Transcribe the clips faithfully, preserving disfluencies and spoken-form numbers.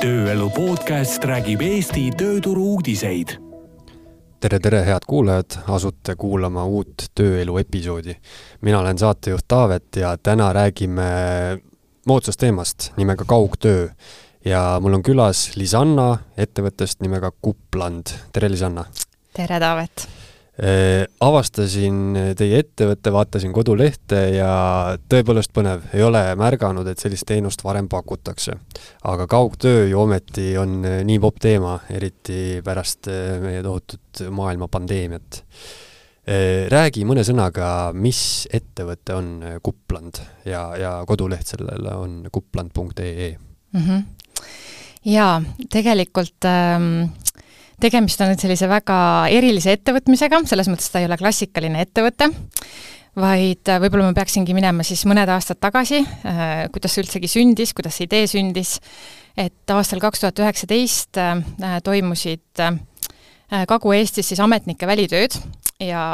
Tööelu podcast räägib Eesti tööturu uudiseid. Tere, tere, head kuulajad, asute kuulama uut Tööelu episoodi. Mina olen saatejuht Taavet ja täna räägime moodsast teemast nimega kaugtöö. Ja mul on külas Lisanna ettevõttest nimega Kupland. Tere, Lisanna! Tere, Taavet! Avastasin teie ettevõtte, vaatasin kodulehte ja tõepoolest põnev. Ei ole märganud, et sellist teenust varem pakutakse. Aga kaugtöö ju ometi on nii popp teema, eriti pärast meie tohutut maailma pandeemiat. Räägi mõne sõnaga, mis ettevõte on Kupland ja, ja koduleht sellele on kupland punkt ee. Mm-hmm. Jaa, tegelikult ähm, tegemist on nüüd sellise väga erilise ettevõtmisega, selles mõttes ta ei ole klassikaline ettevõte, vaid võib-olla ma peaksingi minema siis mõned aastad tagasi, äh, kuidas see üldsegi sündis, kuidas see idee sündis, et aastal kaks tuhat üheksateist äh, toimusid äh, Kagu-Eestis siis ametnike välitööd ja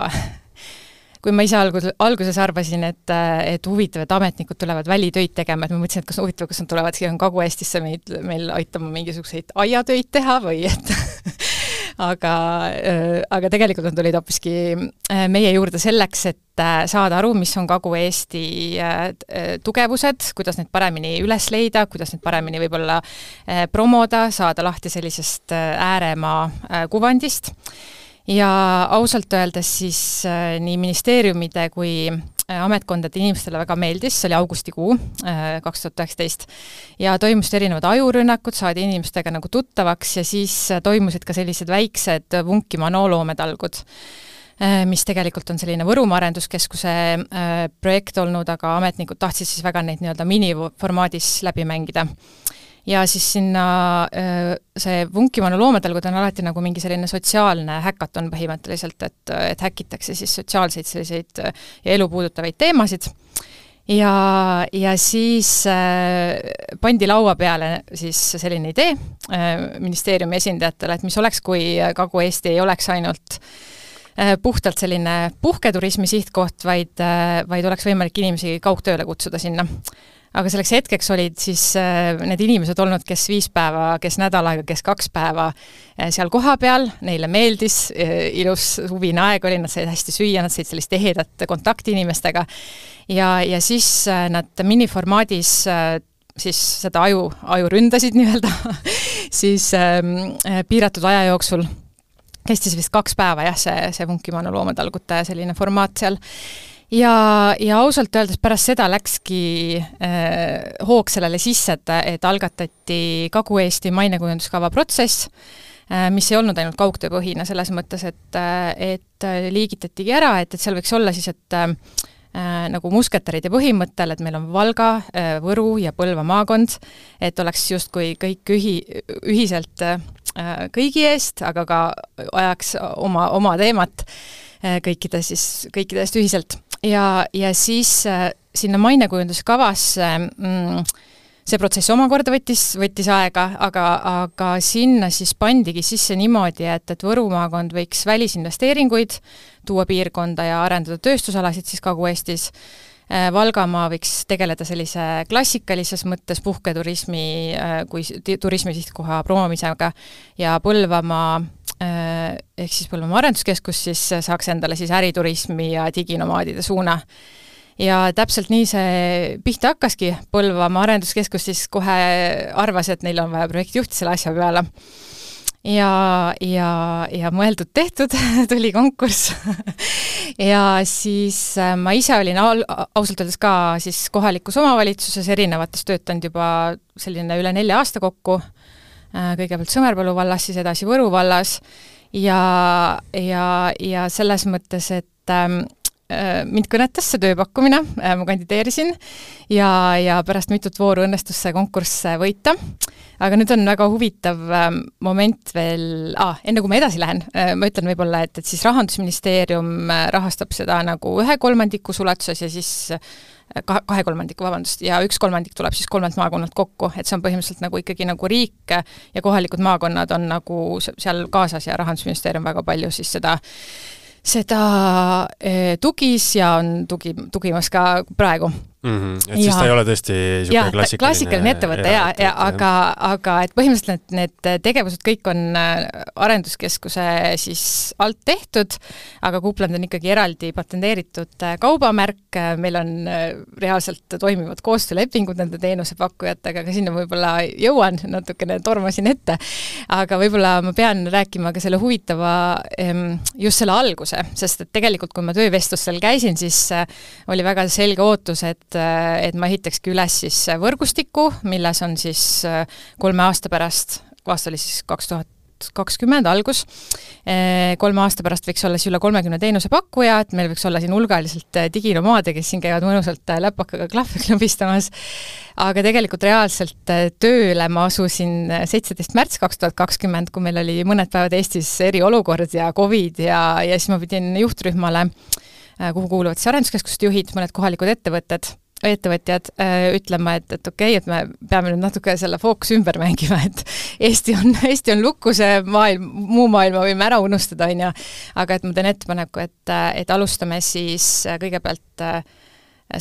kui ma ise algus, alguses arvasin, et, et huvitav, et ametnikud tulevad välitöid tegema, et ma mõtlesin, et kas on huvitav, kas nad tulevad siia Kagu-Eestisse meil, meil aitama mingisuguseid aiatöid teha või et aga, aga tegelikult nad tulid hoopiski meie juurde selleks, et saada aru, mis on Kagu-Eesti tugevused, kuidas need paremini üles leida, kuidas need paremini võib-olla promoda, saada lahti sellisest ääremaa kuvandist. Ja ausalt öeldes siis äh, nii ministeeriumide kui äh, ametkondade inimestele väga meeldis, see oli augustikuu äh, kaks tuhat üheksateist ja toimusid erinevad ajurünnakud, saadi inimestega nagu tuttavaks ja siis äh, toimusid ka sellised väiksed Vunkimaa nooloometalgud, äh, mis tegelikult on selline Võrumaa arenduskeskuse äh, projekt olnud, aga ametnikud tahtsid siis väga neid nii-öelda miniformaadis läbi mängida. Ja siis sinna see Vunkimaa loometalgud on alati nagu mingi selline sotsiaalne häkaton põhimõtteliselt, et, et häkitakse siis sotsiaalseid selliseid ja elu puudutavaid teemasid. Ja, ja siis äh, pandi laua peale siis selline idee äh, ministeeriumi esindajatele, et mis oleks, kui Kagu-Eesti ei oleks ainult äh, puhtalt selline puhketurismi sihtkoht, vaid, äh, vaid oleks võimalik inimesi kaugtööle kutsuda sinna. Aga selleks hetkeks olid siis need inimesed olnud, kes viis päeva, kes nädal aega, kes kaks päeva seal koha peal, neile meeldis, ilus huvine aeg oli, nad said hästi süüa, nad said sellist ehedat kontakti inimestega ja, ja siis nad miniformaadis siis seda aju, aju ründasid nii-öelda, siis ähm, piiratud aja jooksul kestis vist kaks päeva, jah, see, see Vunkimaa loometalgute selline formaat seal. Ja, ja ausalt öeldes pärast seda läkski äh, hoog sellele sisse, et, et algatati Kagu-Eesti mainekujunduskava protsess, äh, mis ei olnud ainult kaugtööpõhine selles mõttes, et, et liigitatigi ära, et, et seal võiks olla siis, et äh, nagu musketäride põhimõttel, et meil on Valga, äh, Võru ja Põlva maakond, et oleks justkui kõik ühi, ühiselt äh, kõigi eest, aga ka ajaks oma, oma teemat äh, kõikide siis, kõikidest ühiselt. Ja, ja siis äh, sinna mainekujunduskavasse mm, see protsess omakorda võttis, võttis aega, aga, aga sinna siis pandigi sisse niimoodi, et, et Võru maakond võiks välisinvesteeringuid tuua piirkonda ja arendada tööstusalasid siis Kagu-Eestis. Äh, Valgamaa võiks tegeleda sellise klassikalises mõttes puhketurismi äh, kui turismi sihtkoha promomisega ja Põlvamaa ehk siis Põlvamaa arenduskeskus siis saaks endale siis äriturismi ja diginomaadide suuna. Ja täpselt nii see pihta hakkaski. Põlvamaa arenduskeskus siis kohe arvas, et neil on vaja projektijuhti selle asja peale. Ja, ja, ja mõeldud tehtud, tuli konkurss. Ja siis ma ise olin ausalt öeldes ka siis kohalikus omavalitsuses erinevates töötanud juba selline üle nelja aasta kokku. Kõigepealt Sõmerpalu vallas, siis edasi Võru vallas ja, ja, ja selles mõttes, et ähm, mind kõnetas see tööpakkumine, ma kandideerisin ja, ja pärast mitut vooru õnnestus see konkurss võita. Aga nüüd on väga huvitav moment veel, ah, enne kui ma edasi lähen, ma ütlen võib-olla, et, et siis Rahandusministeerium rahastab seda nagu ühe kolmandiku ulatuses ja siis kahe kolmandiku, vabandust, ja üks kolmandik tuleb siis kolmelt maakonnalt kokku, et see on põhimõtteliselt nagu ikkagi nagu riik ja kohalikud maakonnad on nagu seal kaasas ja Rahandusministeerium väga palju siis seda seda tugis ja on tugi, tugimas ka praegu. Mm-hmm. Et siis ta ei ole tõesti ja, klassikaline, klassikaline ettevõte, ja, ja, aga, aga et põhimõtteliselt need, need tegevused kõik on arenduskeskuse siis alt tehtud, aga Coupland on ikkagi eraldi patenteeritud kaubamärk, meil on reaalselt toimivad koostöölepingud nende teenusepakkujatega, aga sinna võib-olla jõuan, natukene tormasin ette, aga võib-olla ma pean rääkima ka selle huvitava just selle alguse, sest et tegelikult kui ma töövestlustel käisin, siis oli väga selge ootus, et et ma ehitakski üles siis võrgustiku, milles on siis kolme aasta pärast, aasta oli siis kaks tuhat kakskümmend algus, kolme aasta pärast võiks olla siis üle kolmekümne teenusepakkuja, et meil võiks olla siin hulgaliselt diginomaade, kes siin käivad mõnusalt läpakaga klahve klõbistamas, aga tegelikult reaalselt tööle ma asusin seitseteist märts kaks tuhat kakskümmend, kui meil oli mõned päevad Eestis eriolukord ja Covid ja, ja siis ma pidin juhtrühmale, kuhu kuuluvad siis arenduskeskuste juhid, mõned kohalikud ettevõtted, ettevõtjad äh, ütlema, et, et okei, okay, et me peame nüüd natuke selle fookus ümber mängima, et Eesti on, Eesti on lukku, see maailm, muu maailma võime ära unustada, on ja, aga et ma teen ettepaneku, et, et alustame siis kõigepealt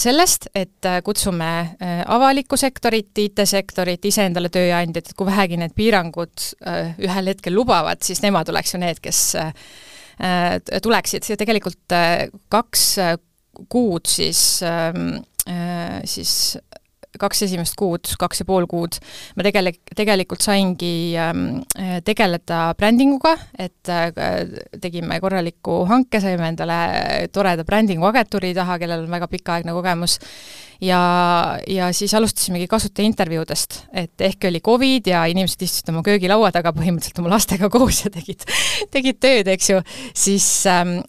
sellest, et kutsume avalikku sektorit, I T-sektorit, ise endale tööandjad, et kui vähegi need piirangud ühel hetkel lubavad, siis nemad oleks ju need, kes tuleksid. Ja tegelikult kaks kuud siis siis kaks esimest kuud, kaks ja pool kuud, ma tegele, tegelikult saingi tegeleda brändinguga, et tegime korraliku hanke, saime endale toreda brändingu agentuuri taha, kellel on väga pikaaegne kogemus, ja, ja siis alustasimegi kasutaja intervjuudest, et ehk oli Covid ja inimesed istusid oma köögilaua taga põhimõtteliselt oma lastega koos ja tegid, tegid tööd, eks ju, siis,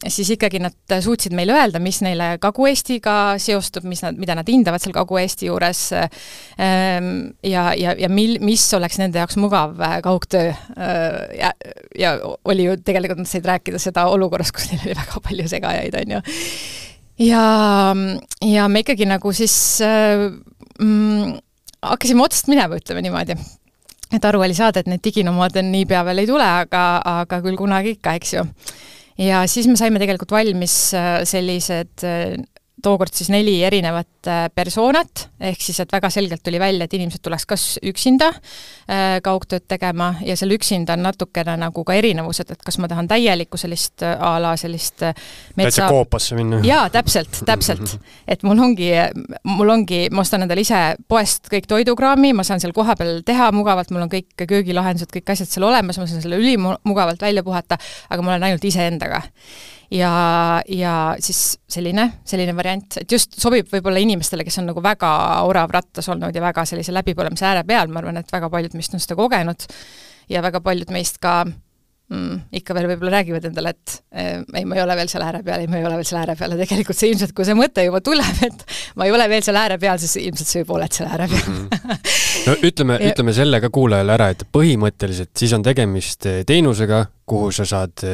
siis ikkagi nad suutsid meile öelda, mis neile Kagu-Eestiga seostub, mis nad, mida nad hindavad seal Kagu-Eesti juures ja, ja, ja mil, mis oleks nende jaoks mugav kaugtöö ja, ja oli ju tegelikult nad said rääkida seda olukorras, kus neil oli väga palju segajaid, on ju. Ja, ja me ikkagi nagu siis äh, mm, hakkasime otsast minema, ütleme niimoodi. Et aru oli saada, et need diginomaad nii pea veel ei tule, aga, aga küll kunagi ikka, eks ju. Ja siis me saime tegelikult valmis sellised tookord siis neli erinevat persoonat, ehk siis, et väga selgelt tuli välja, et inimesed tuleks kas üksinda kaugtööd tegema ja seal üksinda on natukene nagu ka erinevused, et kas ma tahan täielikku sellist ala, sellist metsa... Täitsa koopasse minna. Jaa, täpselt, täpselt. Et mul ongi, mul ongi, ma ostan endale ise poest kõik toidukraami, ma saan seal koha peal teha mugavalt, mul on kõik köögilahendused, kõik asjad seal olemas, ma saan selle ülimugavalt välja puhata, aga ma olen ainult ise endaga. Ja, ja siis selline, selline variant, et just sobib võib-olla inimestele, kes on nagu väga orav rattas olnud ja väga sellise läbipõlemise ääre peal, ma arvan, et väga paljud meist on seda kogenud ja väga paljud meist ka mm, ikka veel võib-olla räägivad endale, et eh, ei, ma ei ole veel seal ääre peal, ei, ma ei ole veel seal ääre peal ja tegelikult see ilmselt, kui see mõte juba tuleb, et ma ei ole veel seal ääre peal, siis ilmselt see juba oled seal ääre peal. Mm-hmm. No ütleme, ja... ütleme selle ka kuulajale ära, et põhimõtteliselt siis on tegemist teenusega, kuhu sa saad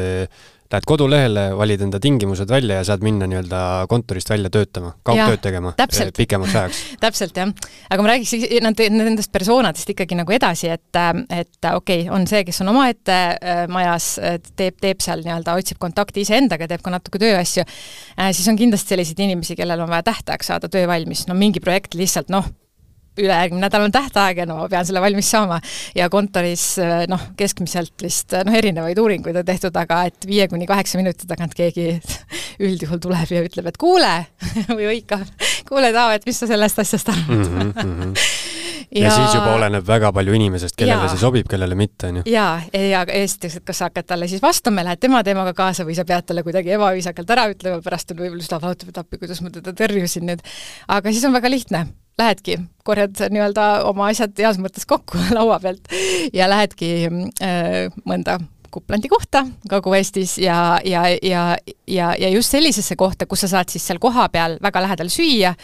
lähed kodulehele, valid enda tingimused välja ja saad minna nii-öelda kontorist välja töötama, kaugtööd tegema täpselt. Pikemaks ajaks. Täpselt, jah. Aga ma räägiks nendest persoonadest ikkagi nagu edasi, et, et okei, okay, on see, kes on oma ette majas, teeb, teeb seal nii-öelda, otsib kontakti ise endaga, teeb ka natuke tööasju, siis on kindlasti selliseid inimesi, kellel on vaja tähtajaks saada töö valmis, no mingi projekt lihtsalt, noh, ülejärgmine nädal on tähtaeg ja no ma pean selle valmis saama ja kontoris noh, keskmiselt vist noh, erinevaid uuringuid on tehtud, aga et viie kuni kaheksa minuti tagant keegi üldjuhul tuleb ja ütleb, et kuule või õikab, kuule Taav, et mis sa sellest asjast arvad. Mm -hmm. ja, ja siis juba oleneb väga palju inimesest, kellele ja, see sobib, kellele mitte. On ju. Ja, ja esiteks, et kas sa hakkad talle siis vastama, lähed tema teemaga kaasa või sa pead talle kuidagi ebaviisakalt ära ütlema, pärast on võib-olla seda lautab, et appi, kuidas ma teda tõrjusin nüüd. Aga siis on väga lihtne. Lähedki, korjad nii-öelda oma asjad heas mõttes kokku laua pealt ja lähedki äh, mõnda Couplandi kohta Kagu-Eestis ja, ja, ja, ja, ja just sellisesse kohta, kus sa saad siis seal koha peal väga lähedal süüa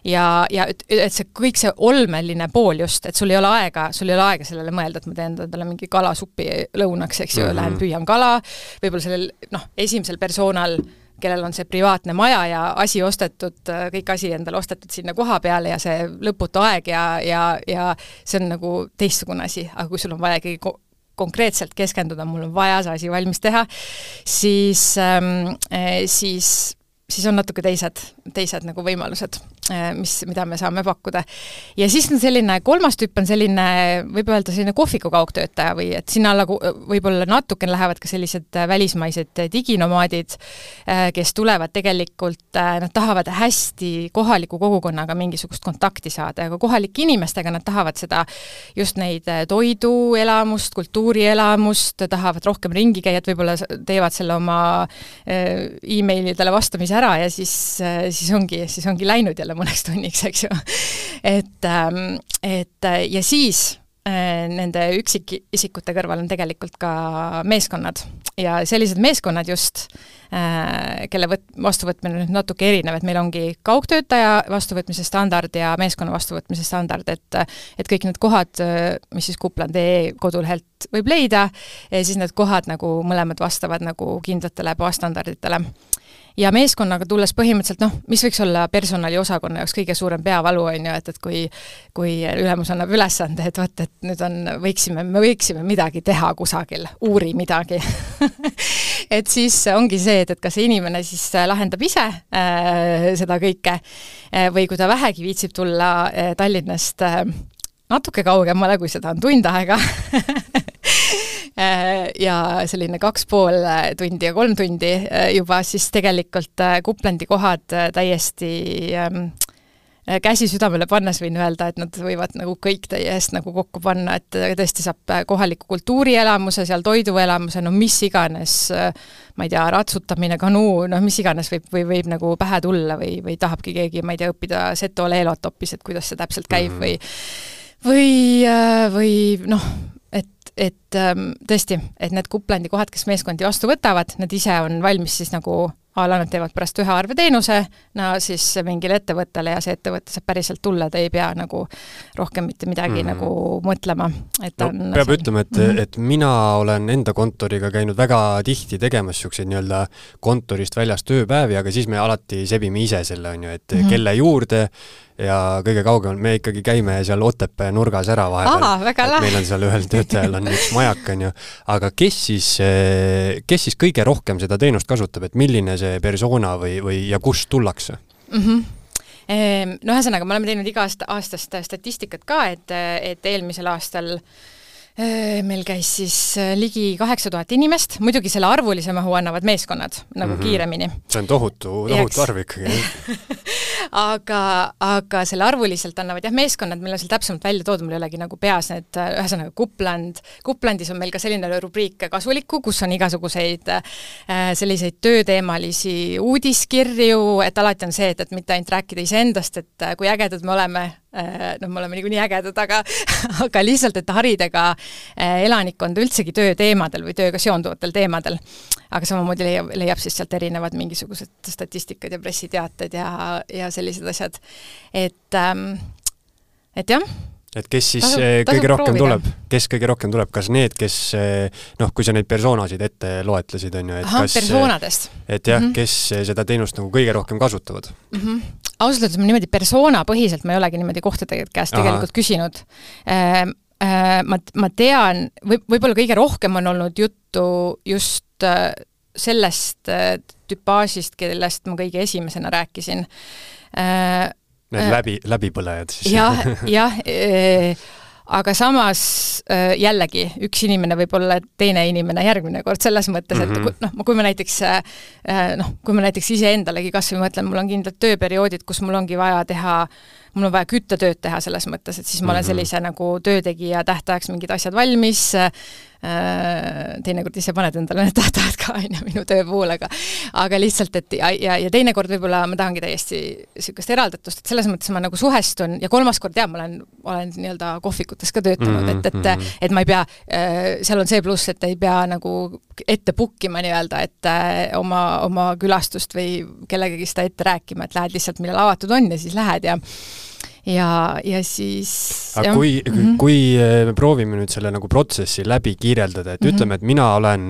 ja, ja et, et see kõik see olmeline pool just, et sul ei ole aega, sul ei ole aega sellele mõelda, et ma teen endale mingi kalasuppi lõunaks, eks ju, mm-hmm. lähen püüan kala, võib-olla sellel noh, esimesel persoonal kellel on see privaatne maja ja asi ostetud, kõik asi endale ostetud sinna koha peale ja see lõputu aeg ja, ja, ja see on nagu teistsugune asi, aga kui sul on vaja ikkagi ko- konkreetselt keskenduda, mul on vaja see asi valmis teha, siis, ähm, siis, siis on natuke teised teised nagu võimalused, mis, mida me saame pakkuda. Ja siis on selline, kolmas tüüp on selline, võib öelda selline kohviku kaugtöötaja või et sinna alla võib-olla natuke lähevad ka sellised välismaised diginomaadid, kes tulevad tegelikult, nad tahavad hästi kohaliku kogukonnaga mingisugust kontakti saada, aga kohalike inimestega nad tahavad seda, just neid toiduelamust, kultuurielamust, tahavad rohkem ringi käia, et võib-olla teevad selle oma e-mailidele vastamise ära ja siis, siis ongi, siis ongi läinud jälle mõneks tunniks, eks ju. Et, et ja siis nende üksikisikute kõrval on tegelikult ka meeskonnad ja sellised meeskonnad just, kelle võt, vastuvõtmine nüüd natuke erinev, et meil ongi kaugtöötaja vastuvõtmise standard ja meeskonna vastuvõtmise standard, et, et kõik need kohad, mis siis kupland punkt ee kodulehelt võib leida, siis need kohad nagu mõlemad vastavad nagu kindlatele baasstandarditele. Ja meeskonnaga tulles põhimõtteliselt, noh, mis võiks olla personaliosakonna jaoks kõige suurem peavalu on ju, et, et kui, kui ülemus annab ülesande, et võt, et nüüd on, võiksime, me võiksime midagi teha kusagil, uuri midagi. Et siis ongi see, et, et kas inimene siis lahendab ise äh, seda kõike äh, või kui ta vähegi viitsib tulla äh, Tallinnast äh, natuke kaugemale, kui seda on tund aega, ja selline kaks pool tundi ja kolm tundi juba, siis tegelikult Kuplandi kohad täiesti käsi südamele pannes võin öelda, et nad võivad nagu kõik teie eest nagu kokku panna, et tõesti saab kohaliku kultuurielamuse, seal toiduelamuse, no mis iganes, ma ei tea, ratsutamine, kanuu, no mis iganes võib, või võib nagu pähe tulla või, või tahabki keegi, ma ei tea, õppida Seto Leelot hoopis, et kuidas see täpselt käib või või, või noh, et, et tõesti, et need Kuplandi kohad, kes meeskondi vastu võtavad, need ise on valmis siis nagu ala nad teevad pärast ühe arveteenuse, no siis mingile ettevõttele ja see ettevõtte saab päriselt tulla, ta ei pea nagu rohkem mitte midagi mm-hmm. nagu mõtlema. Et no, on peab see... ütlema, et, mm-hmm. et mina olen enda kontoriga käinud väga tihti tegemas siukseid nii-öelda kontorist väljas tööpäevi, aga siis me alati sebime ise selle, on ju, et mm-hmm. kelle juurde ja kõige kaugemal me ikkagi käime seal Otepää nurgas ära vahepeal. Aa, väga lahe. Meil on seal ühel töötajal on üks majak, on ju. Aga kes siis, kes siis kõige rohkem seda teenust kasutab, et milline see persona või, või ja kust tullakse? Mm-hmm. No ühesõnaga, me oleme teinud iga aasta, aastast statistikat ka, et, et eelmisel aastal meil käis siis ligi kaheksa tuhat inimest, muidugi selle arvulise mahu annavad meeskonnad nagu mm-hmm. kiiremini. See on tohutu, tohutu arv ikkagi. aga, aga selle arvuliselt annavad jah meeskonnad, meil on seal täpsemalt välja toodud, mul ei olegi nagu peas need, ühesõnaga Kupland. Kuplandis on meil ka selline rubriik kasulikku, kus on igasuguseid selliseid tööteemalisi uudiskirju, et alati on see, et, et mitte ainult rääkida iseendast, et kui ägedad me oleme, no me oleme niikuinii ägedad, aga, aga lihtsalt, et haridega elanikkond üldsegi tööteemadel või tööga seonduvatel teemadel. Aga samamoodi leiab, leiab siis sealt erinevad mingisugused statistikad ja pressiteated ja, ja sellised asjad. Et, et jah. Et kes siis tasub, tasub kõige rohkem proovida. tuleb? Kes kõige rohkem tuleb? Kas need, kes, noh, kui sa neid persoonasid ette loetlesid, on ju, et Aha, kas, persoonadest. Et jah, mm-hmm. kes seda teenust nagu kõige rohkem kasutavad? Mm-hmm. Ausalt öeldes ma niimoodi persoona põhiselt ma ei olegi niimoodi kohtade käest Aha. tegelikult küsinud. Äh, äh, ma, ma tean, või, võib-olla kõige rohkem on olnud juttu just äh, sellest äh, tüpaasist, kellest ma kõige esimesena rääkisin. Äh, Need läbi, läbipõlejad siis. Jah, jah e, aga samas e, jällegi üks inimene võib olla teine inimene järgmine kord selles mõttes, et mm-hmm. noh, kui ma näiteks e, noh, kui ma näiteks ise endalegi kas või mõtlen, mul on kindlad tööperioodid, kus mul ongi vaja teha, mul on vaja küttetööd teha selles mõttes, et siis ma olen sellise mm-hmm. nagu töötegija tähtajaks mingid asjad valmis, teinekord ise paned endale need tähtajad ka aina minu töö puhul, aga, aga lihtsalt, et ja, ja, ja teinekord võib-olla ma tahangi täiesti sükast eraldatust, et selles mõttes ma nagu suhestun ja kolmas kord jah, ma olen, olen nii-öelda kohvikutes ka töötanud, et, et, et ma ei pea, seal on see pluss, et ei pea nagu ette pukkima nii-öelda, et oma, oma külastust või kellegagi seda ette rääkima, et lähed lihtsalt, millal avatud on ja siis lähed ja ja, ja siis aga kui, mm-hmm. kui me proovime nüüd selle nagu protsessi läbi kiireldada, et mm-hmm. ütleme, et mina olen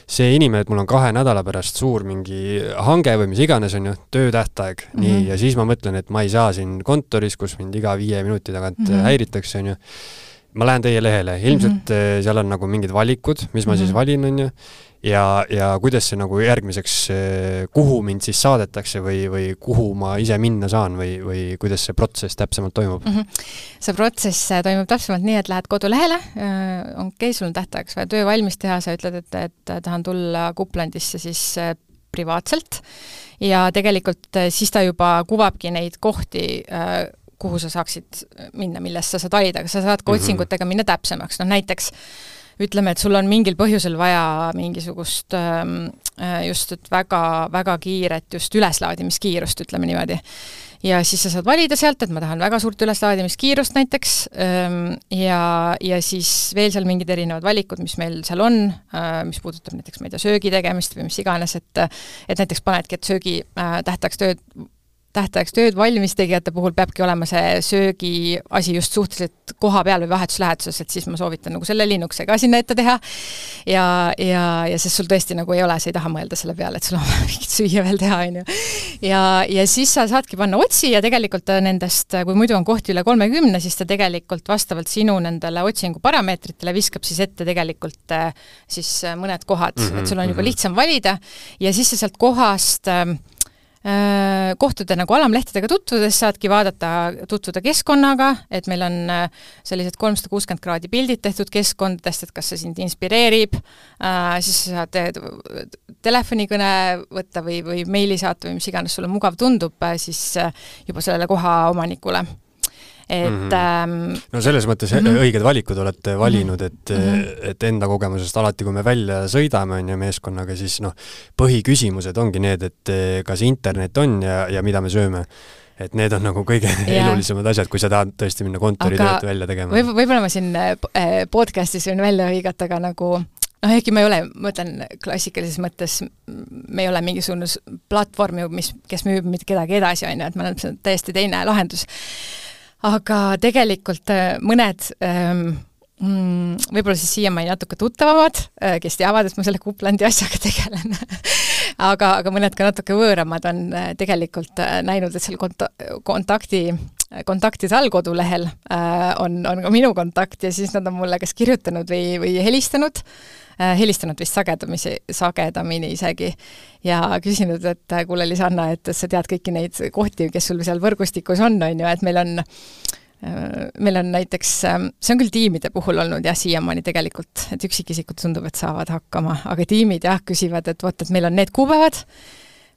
see inimene, et mul on kahe nädala pärast suur mingi hange või mis iganes on ju, töötähtaeg, mm-hmm. nii, ja siis ma mõtlen, et ma ei saa siin kontoris, kus mind iga viie minuti tagant mm-hmm. häiritakse, on ju. ma lähen teie lehele, ilmselt mm -hmm. seal on nagu mingid valikud, mis ma mm -hmm. siis valin, on ju, ja, ja kuidas see nagu järgmiseks, kuhu mind siis saadetakse või, või kuhu ma ise minna saan või, või kuidas see protsess täpsemalt toimub? Mm -hmm. See protsess toimub täpsemalt nii, et lähed kodulehele, on okei, sul on tähtajaks vaja töö valmis teha, sa ütled, et, et tahan tulla Kuplandisse siis privaatselt ja tegelikult siis ta juba kuvabki neid kohti, kuhu sa saaksid minna, millest sa saad valida, aga sa saad ka otsingutega minna täpsemaks. No näiteks ütleme, et sul on mingil põhjusel vaja mingisugust just et väga, väga kiiret just üleslaadimiskiirust, ütleme niimoodi. Ja siis sa saad valida sealt, et ma tahan väga suurt üleslaadimiskiirust näiteks ja, ja siis veel seal mingid erinevad valikud, mis meil seal on, mis puudutab näiteks, ma ei tea, söögi tegemist või mis iganes, et, et näiteks panedki, et söögi tähtaks tööd tähtajaks tööd valmis tegijate puhul peabki olema see söögi asi just suhteliselt koha peal või vahetuslähetuses, et siis ma soovitan nagu selle linnukse ka sinna ette teha ja, ja, ja sest sul tõesti nagu ei ole, sa ei taha mõelda selle peale, et sul on mingit süüa veel teha, on ju. Ja, ja siis sa saadki panna otsi ja tegelikult nendest, kui muidu on kohti üle kolmekümne, siis ta tegelikult vastavalt sinu nendele otsingu parameetritele viskab siis ette tegelikult siis mõned kohad, mm-hmm, et sul on juba lihtsam valida ja siis sa sealt kohast kohtuda nagu alamlehtedega tutvudes, saadki vaadata, tutvuda keskkonnaga, et meil on sellised kolmsada kuuskümmend kraadi pildid tehtud keskkondadest, et kas see sind inspireerib, siis sa saad telefonikõne võtta või, või meili saata või mis iganes sulle mugav tundub, siis juba sellele koha omanikule. Et, mm -hmm. no selles mõttes mm -hmm. õiged valikud olete valinud, et, mm -hmm. et enda kogemusest alati, kui me välja sõidame on ja meeskonnaga, siis noh, põhiküsimused ongi need, et kas internet on ja, ja mida me sööme. Et need on nagu kõige ja. elulisemad asjad, kui sa tahad tõesti minna kontoritööd välja tegema. Võib, võib-olla ma siin podcastis võin välja õigata, aga nagu noh, ehkki ma ei ole, ma ütlen klassikalises mõttes, me ei ole mingisugune platvorm, mis, kes müüb mitte kedagi edasi, on ju, et ma olen täiesti teine lahendus. Aga tegelikult mõned võib-olla siis siiamaani natuke tuttavamad, kes teavad, et ma selle Kuplandi asjaga tegelen, aga, aga mõned ka natuke võõramad on tegelikult näinud, et seal konta- kontakti, kontaktide all kodulehel on, on ka minu kontakt ja siis nad on mulle kas kirjutanud või, või helistanud, helistanud vist sagedamisi, sagedamini isegi ja küsinud, et kuule Lisanna, et sa tead kõiki neid kohti, kes sul seal võrgustikus on, on ju, et meil on meil on näiteks, see on küll tiimide puhul olnud jah, siiamaani tegelikult, et üksikisikud tundub, et saavad hakkama, aga tiimid jah, küsivad, et vot, et meil on need kuupäevad,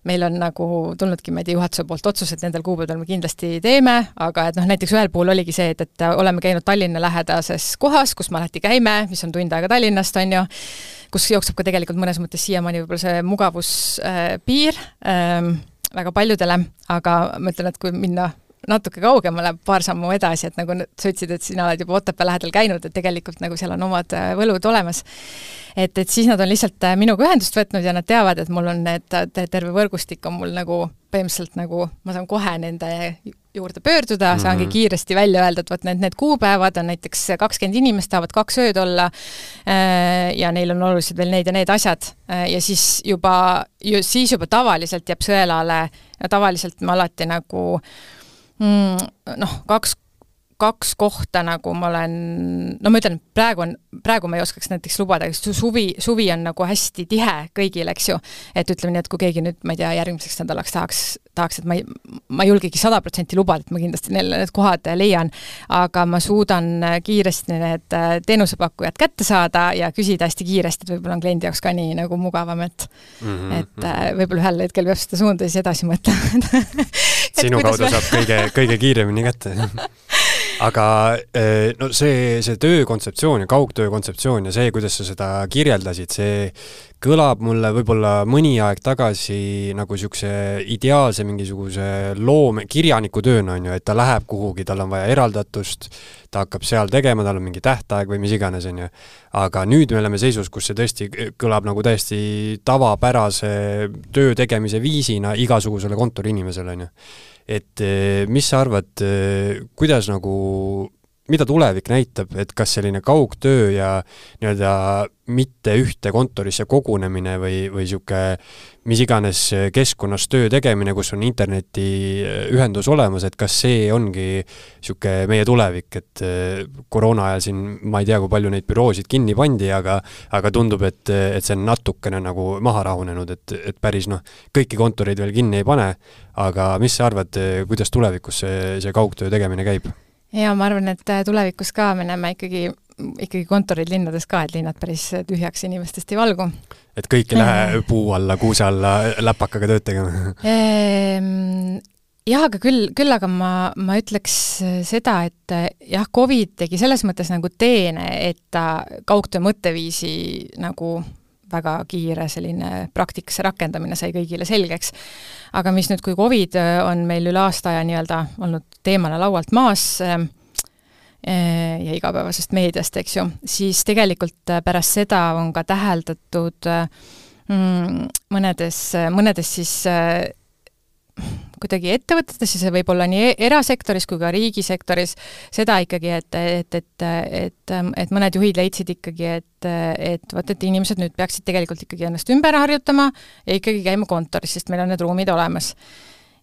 meil on nagu tulnudki, ma ei tea, juhatuse poolt otsus, et nendel kuupäeval me kindlasti teeme, aga et noh, näiteks ühel puhul oligi see, et, et oleme käinud Tallinna lähedases kohas, kus me alati käime, mis on tund aega Tallinnast, on ju, kus jookseb ka tegelikult mõnes mõttes siiamaani võib-olla see mugavuspiir äh, väga paljudele, aga ma ütlen, et kui minna natuke kaugemale, paar sammu edasi, et nagu sa ütlesid, et sina oled juba Otepää lähedal käinud, et tegelikult nagu seal on omad võlud olemas. Et, et siis nad on lihtsalt minuga ühendust võtnud ja nad teavad, et mul on need, terve võrgustik on mul nagu põhimõtteliselt nagu, ma saan kohe nende juurde pöörduda, saangi kiiresti välja öelda, et võt need, need kuupäevad on näiteks kakskümmend inimest, tahavad kaks ööd olla ja neil on oluliselt veel need ja need asjad ja siis juba, siis juba tavaliselt jääb sõelale ja tavaliselt ma alati nagu noh, kaks, kaks kohta nagu ma olen, no ma ütlen, praegu on, praegu ma ei oskaks näiteks lubada, sest suvi, suvi on nagu hästi tihe kõigil, eks ju, et ütleme nii, et kui keegi nüüd, ma ei tea, järgmiseks nädalaks tahaks, tahaks, et ma ei, ma ei julgegi sada protsenti lubada, et ma kindlasti neile need kohad leian, aga ma suudan kiiresti need teenusepakkujad kätte saada ja küsida hästi kiiresti, et võib-olla on kliendi jaoks ka nii nagu mugavam, et, mm -hmm. et võib-olla ühel hetkel peab seda suunda siis edasi mõtlema. Sinu kaudu me... saab kõige, kõige kiiremini kätte. Aga no see, see töökontseptsioon ja kaugtöö kontseptsioon ja see, kuidas sa seda kirjeldasid, see kõlab mulle võib-olla mõni aeg tagasi nagu niisuguse ideaalse mingisuguse loome, kirjaniku tööna on ju, et ta läheb kuhugi, tal on vaja eraldatust, ta hakkab seal tegema, tal on mingi tähtaeg või mis iganes on ju. Aga nüüd me oleme seisus, kus see tõesti kõlab nagu täiesti tavapärase töö tegemise viisina igasugusele kontori inimesele on ju. Et mis sa arvad, kuidas nagu, mida tulevik näitab, et kas selline kaugtöö ja nii-öelda mitte ühte kontorisse kogunemine või, või siuke mis iganes keskkonnas töö tegemine, kus on interneti ühendus olemas, et kas see ongi siuke meie tulevik, et koroona ajal siin ma ei tea, kui palju neid büroosid kinni pandi, aga, aga tundub, et, et see on natukene nagu maha rahunenud, et, et päris noh, kõiki kontoreid veel kinni ei pane, aga mis sa arvad, kuidas tulevikus see, see kaugtöö tegemine käib? Ja ma arvan, et tulevikus ka me näeme ikkagi, ikkagi kontorid linnades ka, et linnad päris tühjaks inimestest ei valgu. Et kõik ei lähe puu alla, kuuse alla läpakaga tööd tegema? Jah, aga küll, küll aga ma, ma ütleks seda, et jah, Covid tegi selles mõttes nagu teene, et ta kaugtöö mõtteviisi nagu väga kiire selline praktikasse rakendamine sai kõigile selgeks. Aga mis nüüd, kui Covid on meil üle aasta ja nii-öelda olnud teemana laualt maas ja igapäevasest meediast, eks ju, siis tegelikult pärast seda on ka täheldatud mõnedes, mõnedes siis kuidagi ettevõtetes, see võib olla nii erasektoris kui ka riigisektoris, seda ikkagi, et, et, et, et, et mõned juhid leidsid ikkagi, et, et, võt, et inimesed nüüd peaksid tegelikult ikkagi ennast ümber harjutama ja ikkagi käima kontoris, sest meil on need ruumid olemas.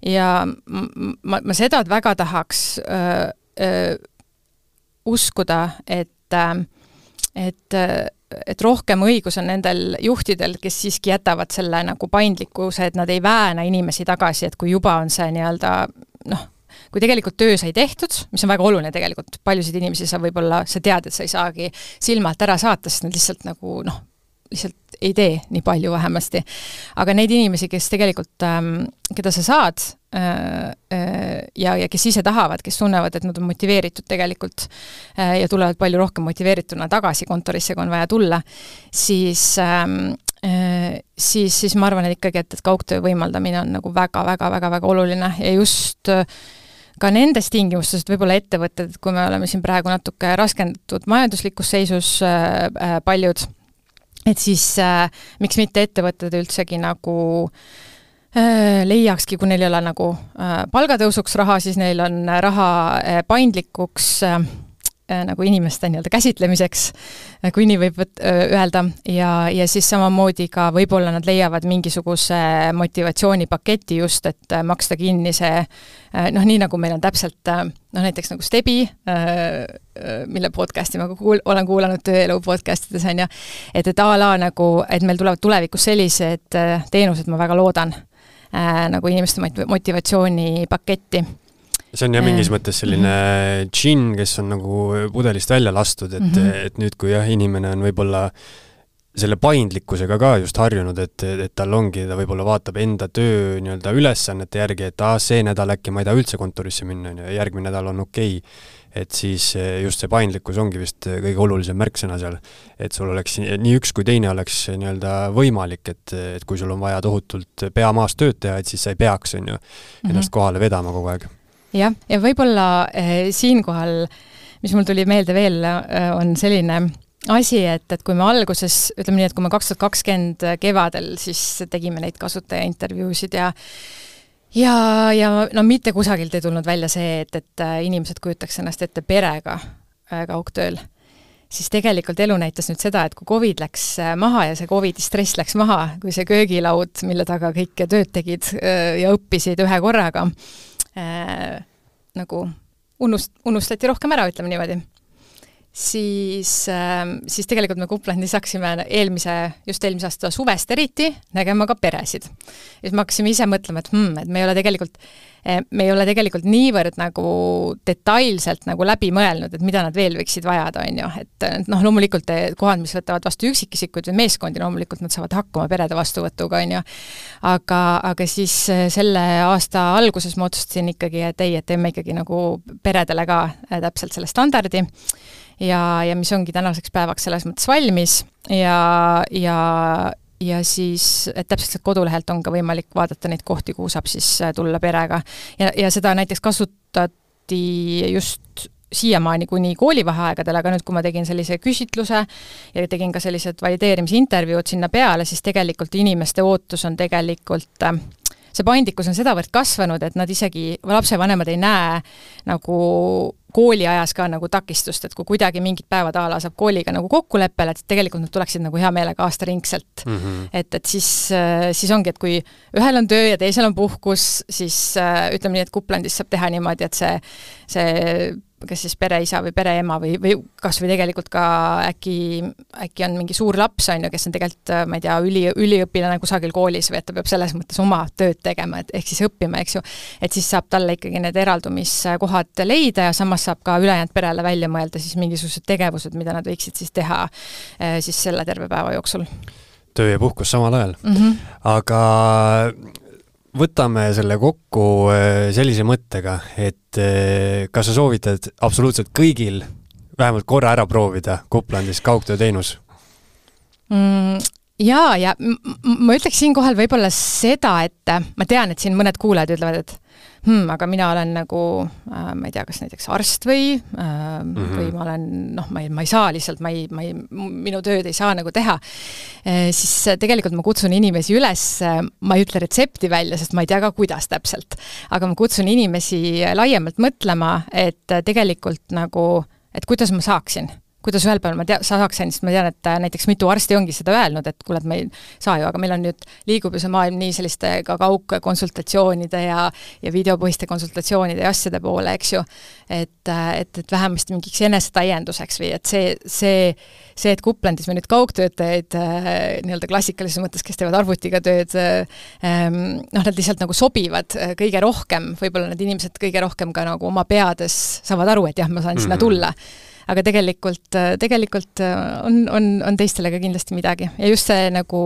Ja ma, ma seda väga tahaks öö, öö, uskuda, et, et et rohkem õigus on nendel juhtidel, kes siiski jätavad selle nagu paindlikkuse, et nad ei vääna inimesi tagasi, et kui juba on see nii-öelda, noh, kui tegelikult töö sai tehtud, mis on väga oluline tegelikult, paljusid inimesi sa võib-olla, sa tead, et sa ei saagi silmalt ära saata, sest nad lihtsalt nagu, noh, lihtsalt ei tee nii palju vähemasti. Aga neid inimesi, kes tegelikult, ähm, keda sa saad äh, äh, ja, ja kes ise tahavad, kes tunnevad, et nad on motiveeritud tegelikult äh, ja tulevad palju rohkem motiveerituna tagasi kontorisse, kui on vaja tulla, siis, ähm, äh, siis, siis ma arvan, et ikkagi, et, et kaugtöö võimaldamine on nagu väga, väga, väga, väga oluline ja just äh, ka nendes tingimustes, et võib-olla ettevõtted, kui me oleme siin praegu natuke raskendatud majanduslikus seisus äh, äh, paljud, et siis äh, miks mitte ettevõtted üldsegi nagu äh, leiakski, kui neil ei ole nagu äh, palgatõusuks raha, siis neil on raha äh, paindlikuks äh, nagu inimeste nii-öelda käsitlemiseks, kui nii võib öelda, ja, ja siis samamoodi ka võib-olla nad leiavad mingisuguse motivatsioonipaketi just, et maksta kinni see, noh, nii nagu meil on täpselt, noh, näiteks nagu Stebi, mille podcasti ma kuul, olen kuulanud tööelu podcastides, on ja, et, et a la nagu, et meil tulevad tulevikus sellised teenused, ma väga loodan, nagu inimeste motivatsioonipaketti. See on jah mingis mõttes selline džinn, kes on nagu pudelist välja lastud, et, mm-hmm. et nüüd, kui jah, inimene on võib-olla selle paindlikkusega ka just harjunud, et, et tal ongi, ta võib-olla vaatab enda töö nii-öelda ülesannete järgi, et ah, see nädal äkki ma ei taha üldse kontorisse minna, ja järgmine nädal on okei. Et siis just see paindlikkus ongi vist kõige olulisem märksõna seal, et sul oleks nii üks kui teine oleks nii-öelda võimalik, et, et kui sul on vaja tohutult pea maas tööd teha, et siis sa ei peaks on ju, ennast mm-hmm. kohale vedama kogu aeg. Jah, ja võib-olla eh, siinkohal, mis mul tuli meelde veel, eh, on selline asi, et, et kui me alguses, ütleme nii, et kui me kaks tuhat kakskümmend kevadel, siis tegime neid kasutaja intervjuusid ja ja, ja no mitte kusagilt ei tulnud välja see, et, et inimesed kujutaks ennast ette perega eh, kaugtööl, siis tegelikult elu näitas nüüd seda, et kui Covid läks maha ja see Covidi stress läks maha, kui see köögilaud, mille taga kõik tööd tegid eh, ja õppisid ühe korraga, Äh, nagu unust, unustati rohkem ära, ütleme niimoodi. Siis, äh, siis tegelikult me Kuplandis hakkasime eelmise, just eelmise aasta suvest eriti nägema ka peresid. Ja siis me hakkasime ise mõtlema, et, hmm, et me ei ole tegelikult me ei ole tegelikult niivõrd nagu detailselt nagu läbi mõelnud, et mida nad veel võiksid vajada, on ju. Et noh, loomulikult kohad, mis võtavad vastu üksikisikud või meeskondi, loomulikult nad saavad hakkama perede vastuvõtuga, on ju. Aga, aga siis selle aasta alguses ma otsustasin ikkagi, et ei, et teeme ikkagi nagu peredele ka täpselt selle standardi ja, ja mis ongi tänaseks päevaks selles mõttes valmis ja, ja ja siis, et täpselt kodulehelt on ka võimalik vaadata neid kohti, kuhu saab siis tulla perega. Ja, ja seda näiteks kasutati just siiamaani kuni koolivaheaegadel, aga nüüd, kui ma tegin sellise küsitluse ja tegin ka sellised valideerimisintervjuud sinna peale, siis tegelikult inimeste ootus on tegelikult see paindlikkus on sedavõrd kasvanud, et nad isegi, lapsevanemad ei näe nagu kooli ajas ka nagu takistust, et kui kuidagi mingid päevad a la saab kooliga nagu kokkuleppele, et tegelikult nad tuleksid nagu hea meelega aastaringselt. Mm -hmm. Et, et siis, siis ongi, et kui ühel on töö ja teisel on puhkus, siis ütleme nii, et Kuplandis saab teha niimoodi, et see, see kas siis pereisa või pereema või, või kas või tegelikult ka äkki, äkki on mingi suur laps, on ju, kes on tegelikult, ma ei tea, üli, üliõpilane kusagil koolis või et ta peab selles mõttes oma tööd tegema, et ehk siis õppima, eks ju, et siis saab talle ikkagi need eraldumiskohad leida ja samas saab ka ülejäänud perele välja mõelda siis mingisugused tegevused, mida nad võiksid siis teha siis selle terve päeva jooksul. Töö ja puhkus samal ajal. Mm -hmm. Aga võtame selle kokku sellise mõttega, et kas sa soovitad absoluutselt kõigil vähemalt korra ära proovida Kuplandis kaugtööteenus? Mm, jaa, ja ma ütleks siinkohal võib-olla seda, et ma tean, et siin mõned kuulajad ütlevad, et hmm, aga mina olen nagu, ma ei tea, kas näiteks arst või, mm -hmm. või ma olen, noh, ma ei, ma ei saa lihtsalt, ma ei, ma ei, minu tööd ei saa nagu teha. E, siis tegelikult ma kutsun inimesi üles, ma ei ütle retsepti välja, sest ma ei tea ka, kuidas täpselt, aga ma kutsun inimesi laiemalt mõtlema, et tegelikult nagu, et kuidas ma saaksin kuidas ühel päeval ma tea, saaksin, sest ma tean, et näiteks mitu arsti ongi seda öelnud, et kuule, et me ei saa ju, aga meil on nüüd, liigub ju see maailm nii selliste ka kaugkonsultatsioonide ja, ja videopõhiste konsultatsioonide ja asjade poole, eks ju, et, et, et vähemasti mingiks enesetäienduseks või et see, see, see, et Kuplandis me nüüd kaugtöötajaid nii-öelda klassikalises mõttes, kes teevad arvutiga tööd, noh, nad lihtsalt nagu sobivad kõige rohkem, võib-olla need inimesed kõige rohkem ka nagu oma peades saavad aru, et jah, ma saan mm-hmm. sinna tulla. Aga tegelikult, tegelikult on, on, on teistele ka kindlasti midagi. Ja just see nagu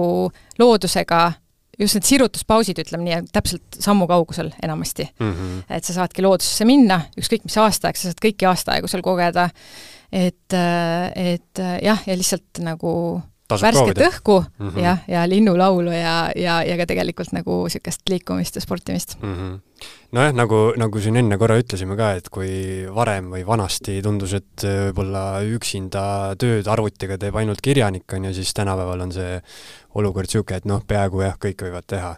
loodusega, just need sirutuspausid, ütleme nii, täpselt sammu kaugusel enamasti. Mm-hmm. Et sa saadki loodusesse minna, ükskõik mis aastaaeg, sa saad kõiki aastaaegu seal kogeda. Et, et jah, ja lihtsalt nagu Tasub värsket proovida. õhku mm-hmm. ja, ja linnulaulu ja, ja, ja ka tegelikult nagu sükest liikumist ja sportimist. Mm-hmm. Nojah, nagu, nagu siin enne korra ütlesime ka, et kui varem või vanasti tundus, et võib-olla üksinda tööd arvutiga teeb ainult kirjanik on ja siis tänapäeval on see olukord siuke, et noh, peaaegu jah, kõik võivad teha.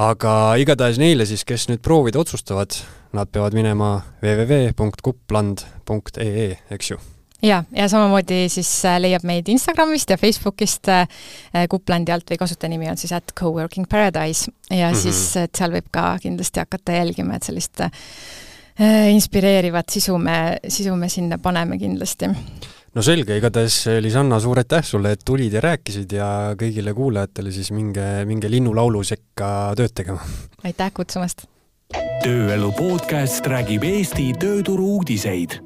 Aga igatahes neile siis, kes nüüd proovida otsustavad, nad peavad minema w w w punkt kupland punkt e e, eks ju? Ja, ja samamoodi siis leiab meid Instagramist ja Facebookist Kuplandi alt või kasutajanimi on siis at Coworking Paradise ja mm-hmm. siis et seal võib ka kindlasti hakata jälgima, et sellist inspireerivat sisu me, sisu me sinna paneme kindlasti. No selge, igatahes Lisanna, suur aitäh sulle, et tulid ja rääkisid ja kõigile kuulajatele siis minge, minge linnulaulu sekka tööd tegema. Aitäh kutsumast! Tööelu podcast räägib Eesti tööturu uudiseid.